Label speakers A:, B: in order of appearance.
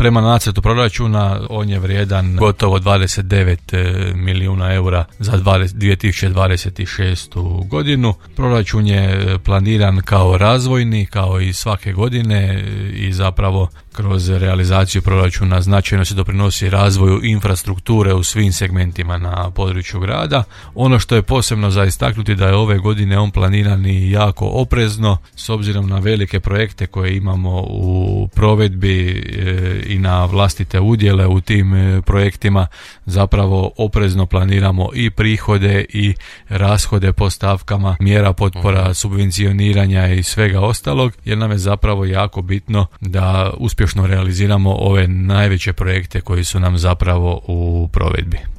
A: Prema nacrtu proračuna on je vrijedan gotovo 29 milijuna eura za 2026. godinu. Proračun je planiran kao razvojni, kao i svake godine, i zapravo kroz realizaciju proračuna značajno se doprinosi razvoju infrastrukture u svim segmentima na području grada. Ono što je posebno za istaknuti da je ove godine on planiran i jako oprezno s obzirom na velike projekte koje imamo u provedbi i na vlastite udjele u tim projektima. Zapravo oprezno planiramo i prihode i rashode po stavkama mjera potpora, subvencioniranja i svega ostalog, jer nam je zapravo jako bitno da uspješno realiziramo ove najveće projekte koji su nam zapravo u provedbi.